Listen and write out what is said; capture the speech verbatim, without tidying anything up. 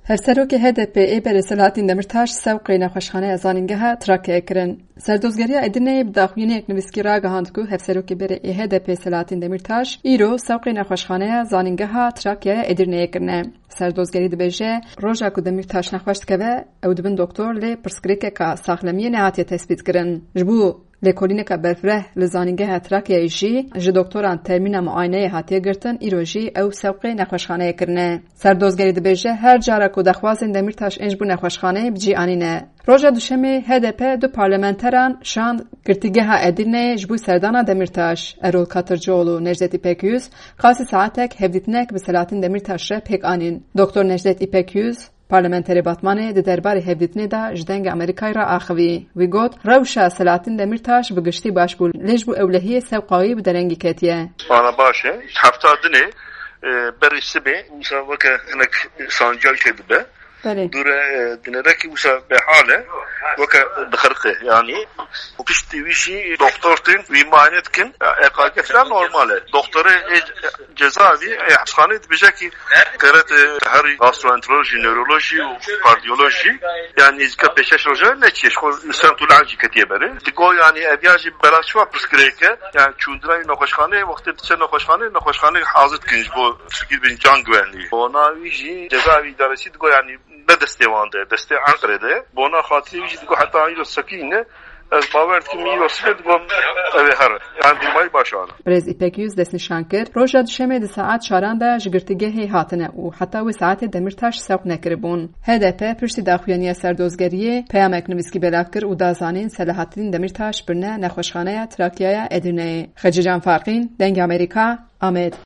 Hevserokê H D P ê berê Selahattin Demirtaş sewqê nexweşxaneya Zanîngeha Trakyayê kirin. Serdozgeriya Edirneyê bi daxuyaniyek nivîskî ragihand ku Hevserokê berê ê H D P Selahattin Demirtaş îro sewqê nexweşxaneya Zanîngeha Trakyaya Edirneyê kirine. Serdozgerî dibêje, roja ku Demirtaş nexweş dikeve, ew dibin doktor, lê pirsgirêkeka saxlemiyê nehatiye tespît kirin. Ji bo lêkolîneka berfireh li Zanîngeha Trakyayê jî ji doktoran termîna muayeneyê hatiye girtin, îro jî ew sewqê nexweşxaneyê kirine. Serdozgerî dibêje, her cara ku daxwazên Demirtaş ên ji bo nexweşxaneyê bi cî anîne. Roja Duşemê H D P du parlamenteran şand girtîgeha Edirneyê ji bo serdana Demirtaş. Erol Katırcıoğlu û Necdet İpekyüz qasî saetek hevdîtinek bi Selahattin Demirtaş re pêk anîn. Doktor Necdet İpekyüz, parlamenterê Batmanê, di derbarê hevdîtinê de ji Dengê Amerîkayê re axivî. Wî got, rewşa Selahattin Demirtaş bi giştî baş bû, lê ji bo ewlehiyê sewqa wî bi derengî ketiye. Ana baş e. Hefta dinê, e, berî sibê, wisa weke hinek sanciya çêdibe. Belê. Dûre, e, dinerekî wisa behal e, weke dixirqe, yanî. Û piştî wî jî doktor tên, wî muayene dikin. E K G falan normal e. Doktorê, e, cezaevî, e, hapisxaneyê dibêje ki geret, e, herî gastroenteroloji, newroloji û kardiyoloji, yanî nêzîka pêşeş roja neçiye, ji xwe li Sent û Lal jî ketiye berê. Digo, yanî, ev ya jî bela çi va pirsgirêk e, yanî çûndina wî nexweşxaneyê, wextê diçe nexweşxaneyê, nexweşxaneyê hazir dikin ji bo pirsgirêk bin can güvenliği. Ona wî jî cezaevî idaresi digo, yanî, ne destê wan de, destê Enqerê de. Bona xatirê wî jî digo heta îro sekî ne, ez bawer dikim îro sibê digo ev ê here. Yanî dûmayî baş ana. Birêz Îpek Yûz destnîşan kir, roja Duşemê di saet çaran de ji girtîgehê hatine û heta wê saetê Demirtaş sewq nekiribûn. H D P piştî daxuyaniya serdozgeriyê peyamek nivîskî belav kir û da zanîn Selahattin Demirtaş birine nexweşxaneya Trakyaya Edirneyê. Xecîcan Farqîn, Dengê Amerîka, Amed.